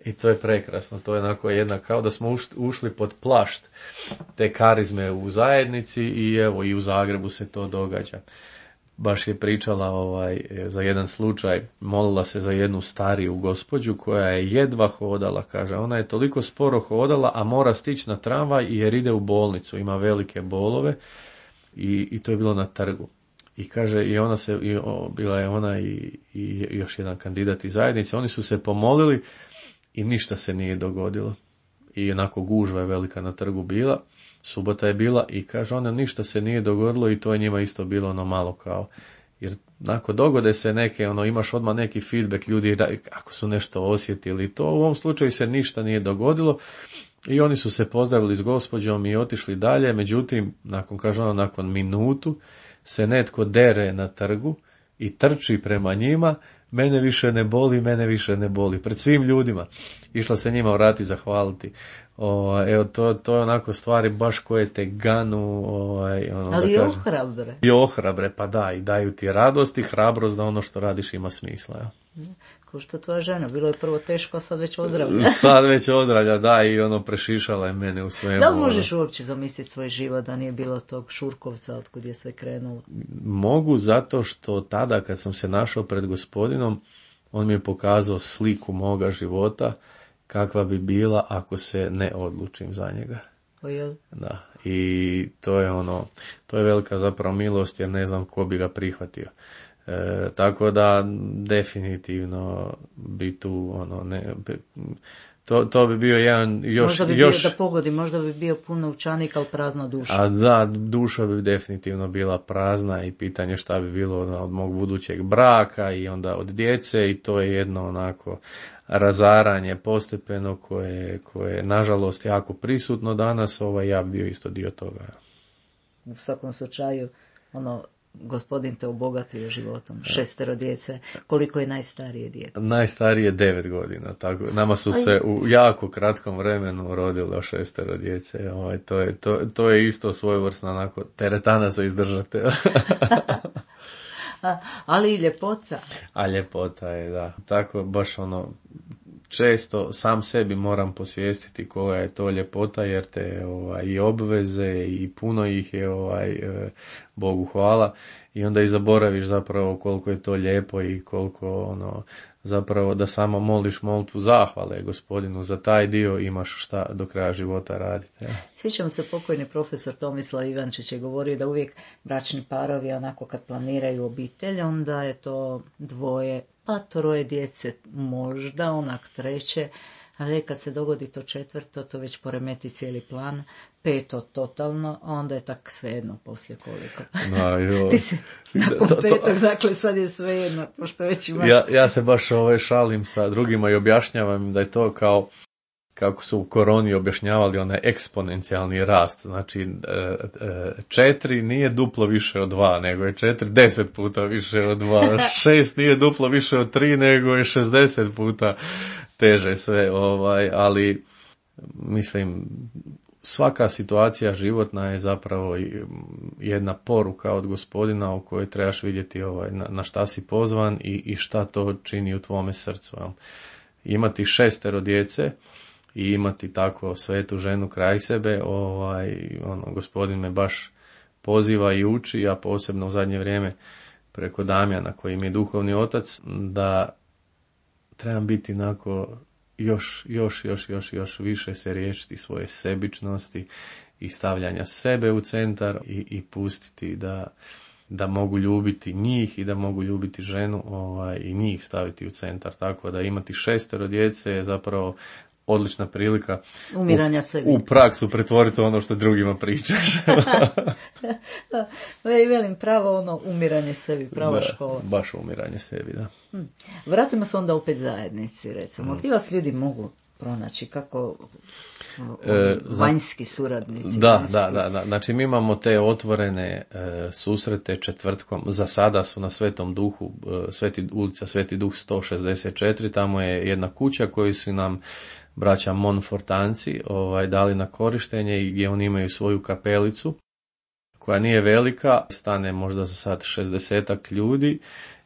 I to je prekrasno, to je onako jedna, kao da smo ušli pod plašt te karizme u zajednici i evo i u Zagrebu se to događa. Baš je pričala ovaj, za jedan slučaj, molila se za jednu stariju gospođu koja je jedva hodala, kaže, ona je toliko sporo hodala, a mora stići na tramvaj jer ide u bolnicu, ima velike bolove i, i to je bilo na trgu. I kaže, i ona se, i, o, bila je ona i, i još jedan kandidat iz zajednice, oni su se pomolili i ništa se nije dogodilo. I onako gužva je velika na trgu bila. Subota je bila i kaže ona ništa se nije dogodilo i to je njima isto bilo ono malo kao, jer ako dogode se neke, ono imaš odmah neki feedback ljudi ako su nešto osjetili, to u ovom slučaju se ništa nije dogodilo i oni su se pozdravili s gospođom i otišli dalje, međutim, nakon, kaže ona, nakon minutu se netko dere na trgu i trči prema njima, mene više ne boli, mene više ne boli, pred svim ljudima. Išla se njima vrati zahvaliti. O, evo, to, to je onako stvari baš koje te ganu. Ovaj, ono, ali da i kažem, ohrabre. I ohrabre, pa da, i daju ti radost i hrabrost da ono što radiš ima smisla. Ja. Ko što tvoja žena, bilo je prvo teško, a sad već ozdravlja. Sad već ozdravlja, da, i ono prešišala je mene u svemu. Da li možeš uopće zamisliti svoj život da nije bilo tog Šurkovca otkud je sve krenulo? Mogu, zato što tada kad sam se našao pred Gospodinom, on mi je pokazao sliku moga života, kakva bi bila ako se ne odlučim za njega. O jel? Da, i to je ono, to je velika zapravo milost jer ne znam ko bi ga prihvatio. E, tako da definitivno bi tu ono ne, to, to bi bio jedan još, možda bi još bio, da pogodi, možda bi bio pun novčanik, ali prazna duša. A da, duša bi definitivno bila prazna i pitanje šta bi bilo od mog budućeg braka i onda od djece i to je jedno onako razaranje postepeno koje, koje je nažalost jako prisutno danas, ovaj, ja bi bio isto dio toga. U svakom slučaju, ono, Gospodin te obogatio životom, šestero djece. Koliko je najstarije dijete? Najstarije devet godina. Tako. Nama su se u jako kratkom vremenu rodilo šestero djece. Ovaj, to, je, to, to je isto svojevrsna onako teretana za izdržati. A, ali i ljepota. A ljepota je, da. Tako baš ono, često sam sebi moram posvijestiti koja je to ljepota jer te ovaj, i obveze i puno ih je ovaj, Bogu hvala i onda i zaboraviš zapravo koliko je to lijepo i koliko ono, zapravo da samo moliš molitvu zahvale Gospodinu za taj dio imaš šta do kraja života raditi. Ja. Sjećam se, pokojni profesor Tomislav Ivančić je govorio da uvijek bračni parovi onako kad planiraju obitelj onda je to dvoje pa troje djece, možda onak treće, ali kad se dogodi to četvrto, to već poremeti cijeli plan, peto totalno, a onda je tak svejedno poslije koliko. No, jo. Ti si nakon to, to, petog, dakle sad je svejedno, pošto već ima... Ja, ja se baš ovaj, šalim sa drugima i objašnjavam da je to kao kako su u koroni objašnjavali onaj eksponencijalni rast, znači četiri nije duplo više od dva, nego je četiri deset puta više od dva, šest nije duplo više od tri, nego je šezdeset puta teže sve, ovaj, ali mislim svaka situacija životna je zapravo jedna poruka od Gospodina u kojoj trebaš vidjeti ovaj, na, na šta si pozvan i, i šta to čini u tvome srcu. Imati šestero djece i imati tako svetu ženu kraj sebe, ovaj, ono, Gospodin me baš poziva i uči, a posebno u zadnje vrijeme preko Damjana koji mi je duhovni otac, da trebam biti onako još, još, još, još, još više se riješiti svoje sebičnosti i stavljanja sebe u centar i, i pustiti da, da mogu ljubiti njih i da mogu ljubiti ženu ovaj, i njih staviti u centar. Tako da imati šestero djece je zapravo odlična prilika umiranja u, sebi. U praksu pretvoriti ono što drugima pričaš. Ja i velim, pravo ono umiranje sebi, prava da, škola. Baš umiranje sebi, da. Hmm. Vratimo se onda opet zajednici, recimo. Hmm. Gdje vas ljudi mogu pronaći? Kako e, vanjski suradnici? Da, vanjski. da, da, da. Znači mi imamo te otvorene e, susrete četvrtkom. Za sada su na Svetom Duhu, e, Sveti, ulica Sveti Duh sto šezdeset četiri, tamo je jedna kuća koju su nam braća Monfortanci ovaj, dali na korištenje i gdje oni imaju svoju kapelicu koja nije velika, stane možda za sad šezdesetak ljudi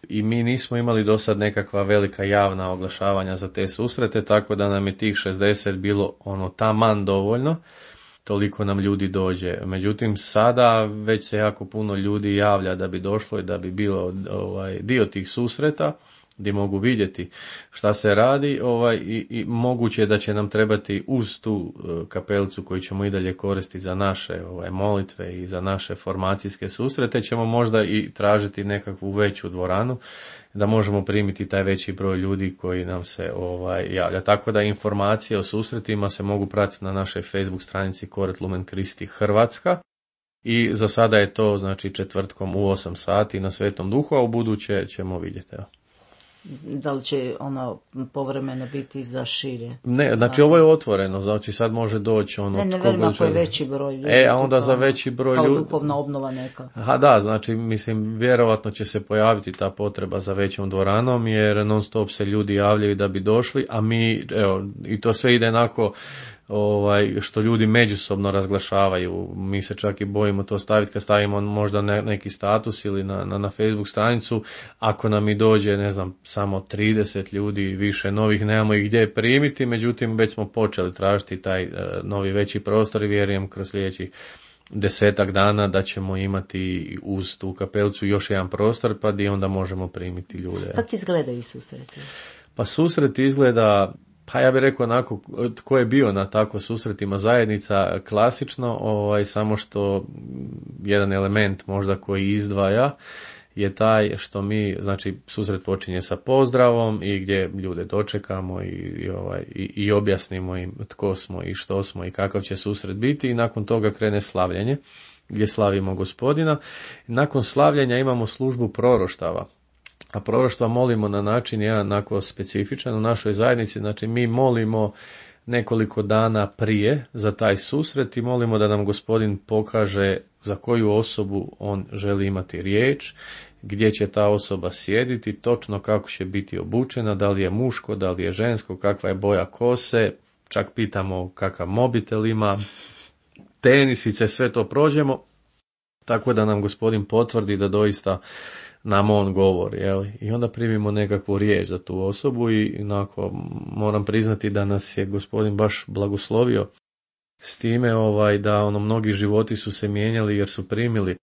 i mi nismo imali do sad nekakva velika javna oglašavanja za te susrete, tako da nam je tih šezdeset bilo ono taman dovoljno, toliko nam ljudi dođe. Međutim, sada već se jako puno ljudi javlja da bi došlo i da bi bilo ovaj, dio tih susreta, gdje mogu vidjeti šta se radi ovaj, i, i moguće je da će nam trebati uz tu uh, kapelicu koju ćemo i dalje koristiti za naše ovaj, molitve i za naše formacijske susrete, ćemo možda i tražiti nekakvu veću dvoranu da možemo primiti taj veći broj ljudi koji nam se ovaj, javlja. Tako da informacije o susretima se mogu pratiti na našoj Facebook stranici Koret Lumen Kristi Hrvatska. I za sada je to znači četvrtkom u osam sati na Svetom Duhu, a u buduće ćemo vidjeti. Evo. Da li će ono povremeno biti za šire? Ne, znači ovo je otvoreno, znači sad može doći ono... Ne, ne velim ako je veći broj ljudi. E, a onda za veći broj ljudi... Kao duhovna obnova neka. Ha da, znači mislim vjerovatno će se pojaviti ta potreba za većom dvoranom, jer non stop se ljudi javljaju da bi došli, a mi, evo, i to sve ide onako... Ovaj, što ljudi međusobno razglašavaju. Mi se čak i bojimo to staviti kad stavimo možda ne, neki status ili na, na, na Facebook stranicu. Ako nam i dođe, ne znam, samo trideset ljudi više novih, nemamo ih gdje primiti, međutim već smo počeli tražiti taj uh, novi veći prostor i vjerujem kroz sljedećih desetak dana da ćemo imati uz tu kapelicu još jedan prostor pa gdje onda možemo primiti ljude. Kako izgledaju susreti? Pa susret izgleda... Pa ja bih rekao onako, tko je bio na tako susretima zajednica klasično, ovaj, samo što jedan element možda koji izdvaja je taj što mi, znači susret počinje sa pozdravom i gdje ljude dočekamo i, i, ovaj, i, i objasnimo im tko smo i što smo i kakav će susret biti i nakon toga krene slavljenje gdje slavimo Gospodina. Nakon slavljenja imamo službu proroštava. A proroštva molimo na način jedan onako specifičan u našoj zajednici, znači mi molimo nekoliko dana prije za taj susret i molimo da nam Gospodin pokaže za koju osobu on želi imati riječ, gdje će ta osoba sjediti, točno kako će biti obučena, da li je muško, da li je žensko, kakva je boja kose, čak pitamo kakav mobitel ima, tenisice, sve to prođemo, tako da nam Gospodin potvrdi da doista nam on govori, jel? I onda primimo nekakvu riječ za tu osobu i onako moram priznati da nas je Gospodin baš blagoslovio s time ovaj, da ono mnogi životi su se mijenjali jer su primili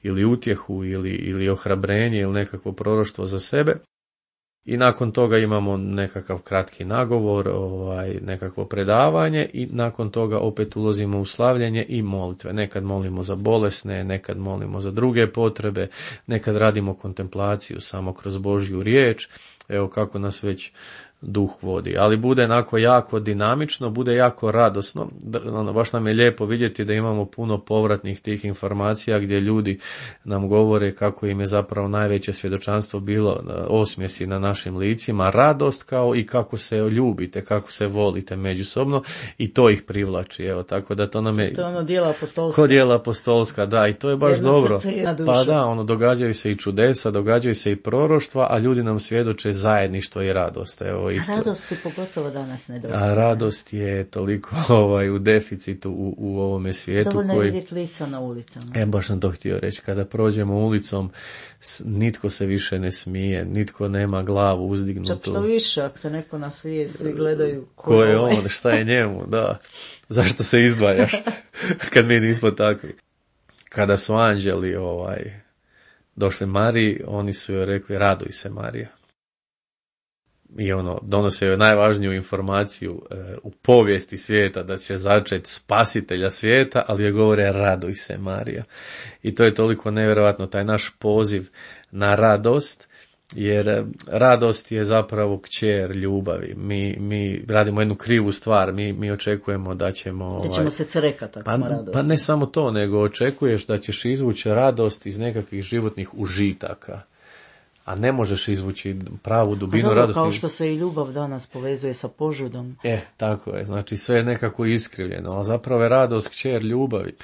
ili utjehu ili, ili ohrabrenje ili nekakvo proroštvo za sebe. I nakon toga imamo nekakav kratki nagovor, ovaj, nekakvo predavanje i nakon toga opet ulazimo u slavljenje i molitve. Nekad molimo za bolesne, nekad molimo za druge potrebe, nekad radimo kontemplaciju samo kroz Božju riječ, evo kako nas već duh vodi. Ali bude onako jako dinamično, bude jako radosno. Ono, baš nam je lijepo vidjeti da imamo puno povratnih tih informacija gdje ljudi nam govore kako im je zapravo najveće svjedočanstvo bilo osmjesi na našim licima, radost kao i kako se ljubite, kako se volite međusobno i to ih privlači. Evo, tako da to nam je... To je ono dijela apostolska. Ko dijela apostolska, da, i to je baš Jedno dobro. Pa da, ono, događaju se i čudesa, događaju se i proroštva, a ljudi nam svjedoče zajedništvo i radost. Evo, i a radost je pogotovo danas nedostaje. A radost je toliko ovaj, u deficitu u, u ovome svijetu. Dovoljno koji... je vidjeti lica na ulicama. E, baš sam to htio reći. Kada prođemo ulicom, nitko se više ne smije, nitko nema glavu uzdignutu. Čak što više, ako se neko nasvije, svi gledaju ko, ko je on, šta je njemu, da. Zašto se izdvajaš kad mi nismo takvi. Kada su anđeli ovaj, došli Mariji, oni su joj rekli raduj se Marija. I ono, donose joj najvažniju informaciju e, u povijesti svijeta da će začeti spasitelja svijeta, ali je govore raduj se Marija. I to je toliko nevjerojatno, taj naš poziv na radost, jer radost je zapravo kćer ljubavi. Mi, mi radimo jednu krivu stvar, mi, mi očekujemo da ćemo... Da ćemo ovaj, se crekati ako pa, smo radosti. Pa ne samo to, nego očekuješ da ćeš izvući radost iz nekakvih životnih užitaka. A a ne možeš izvući pravu dubinu dobro, radosti. Kao što se i ljubav danas povezuje sa požudom. E, tako je, znači sve je nekako iskrivljeno, ali zapravo je radost kćer ljubavi.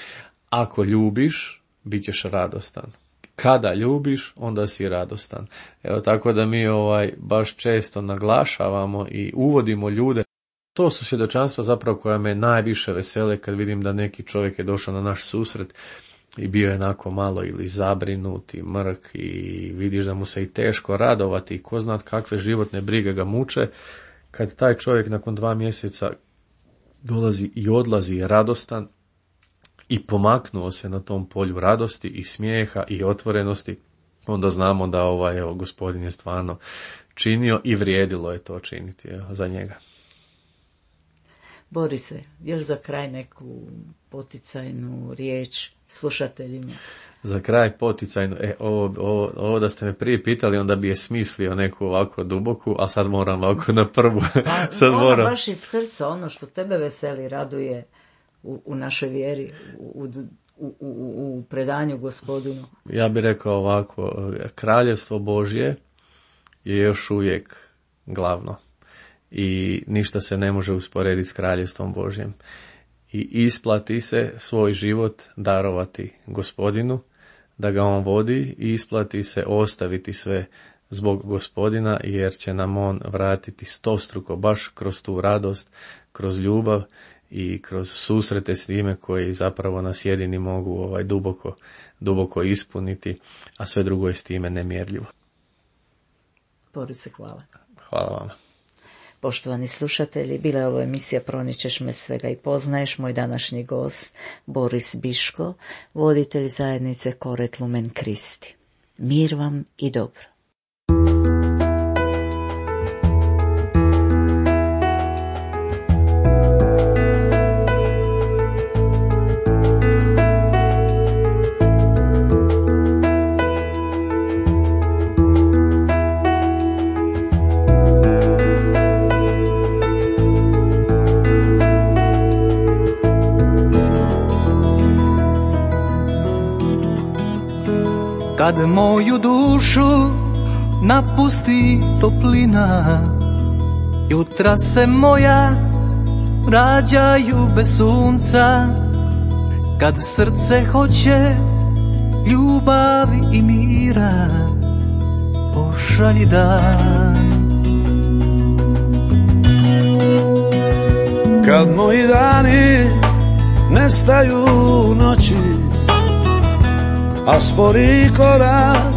Ako ljubiš, bit ćeš radostan. Kada ljubiš, onda si radostan. Evo tako da mi ovaj baš često naglašavamo i uvodimo ljude. To su svjedočanstva zapravo koja me najviše vesele kad vidim da neki čovjek je došao na naš susret i bio je onako malo ili zabrinut i mrk i vidiš da mu se i teško radovati i ko zna kakve životne brige ga muče. Kad taj čovjek nakon dva mjeseca dolazi i odlazi radostan i pomaknuo se na tom polju radosti i smijeha i otvorenosti, onda znamo da ovaj, evo, Gospodin je stvarno činio i vrijedilo je to činiti, evo, za njega. Borise, još za kraj neku poticajnu riječ slušateljima. Za kraj poticajno, e, ovo, ovo, ovo da ste me prije pitali, onda bi je smislio neku ovako duboku, a sad moram ovako na prvu. Pa, sad ona moram. baš iz srca, ono što tebe veseli, raduje u, u našoj vjeri, u, u, u, u predanju Gospodinu. Ja bih rekao ovako, kraljevstvo Božje je još uvijek glavno i ništa se ne može usporediti s kraljevstvom Božjem. I isplati se svoj život darovati Gospodinu, da ga on vodi, i isplati se ostaviti sve zbog Gospodina, jer će nam on vratiti stostruko baš kroz tu radost, kroz ljubav i kroz susrete s njime koji zapravo nas jedini mogu ovaj duboko, duboko ispuniti, a sve drugo je s time nemjerljivo. Borise, hvala. Hvala vam. Poštovani slušatelji, bila je ovo emisija Proničeš me svega i poznaješ. Moj današnji gost Boris Biško, voditelj zajednice Koret Lumen Kristi. Mir vam i dobro. Kad moju dušu napusti toplina, jutra se moja rađaju bez sunca. Kad srce hoće ljubavi i mira, pošalji dan. Kad moji dani nestaju u noći, a spori korak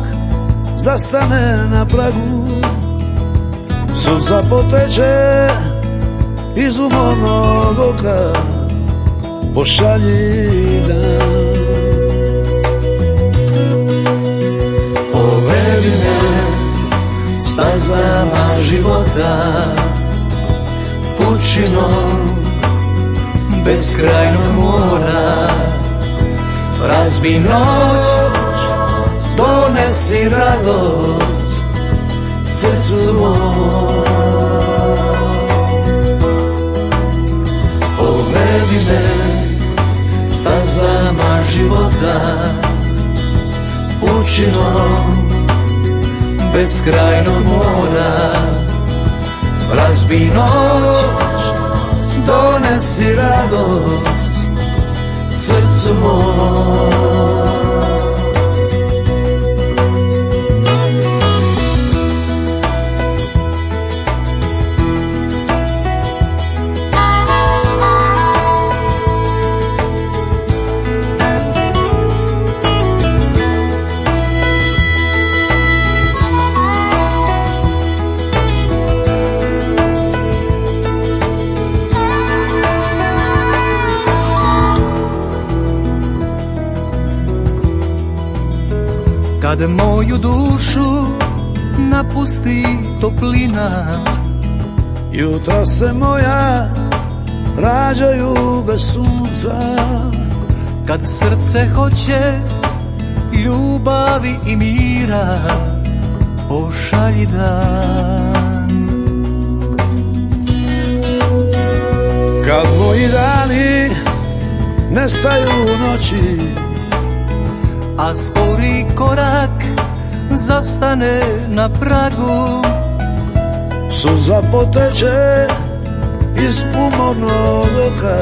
zastane na pragu, suza poteče iz umornog oka, pošalji dan. Povedi me stazama života, pučinom beskrajnog mora. Razbi noć, donesi radost srcu mom. Povedi me stazama života, pučinom beskrajnog mora. Razbi noć, donesi radost srcu mom. Kad moju dušu napusti toplina, jutra se moja rađaju bez sunca. Kad srce hoće ljubavi i mira, pošalji dan. Kad moji dani nestaju u noći, a spori korak zastane na pragu, suza poteče iz umornog oka,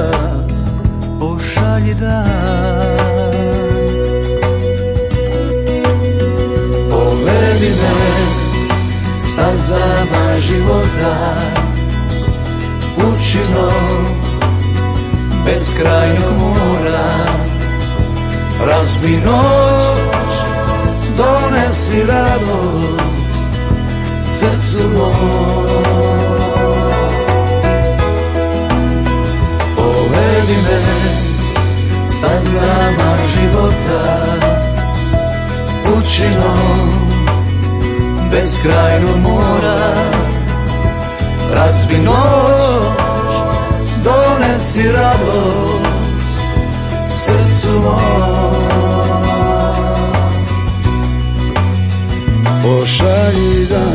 pošalji dan. Povedi me stazama života, pučinom beskrajnog mora, razbi noć, donesi radost srcu moj. Povedi me stazama života, pučinom beskrajnog mora, razbi noć, donesi radost srcu moj. pošalji dan.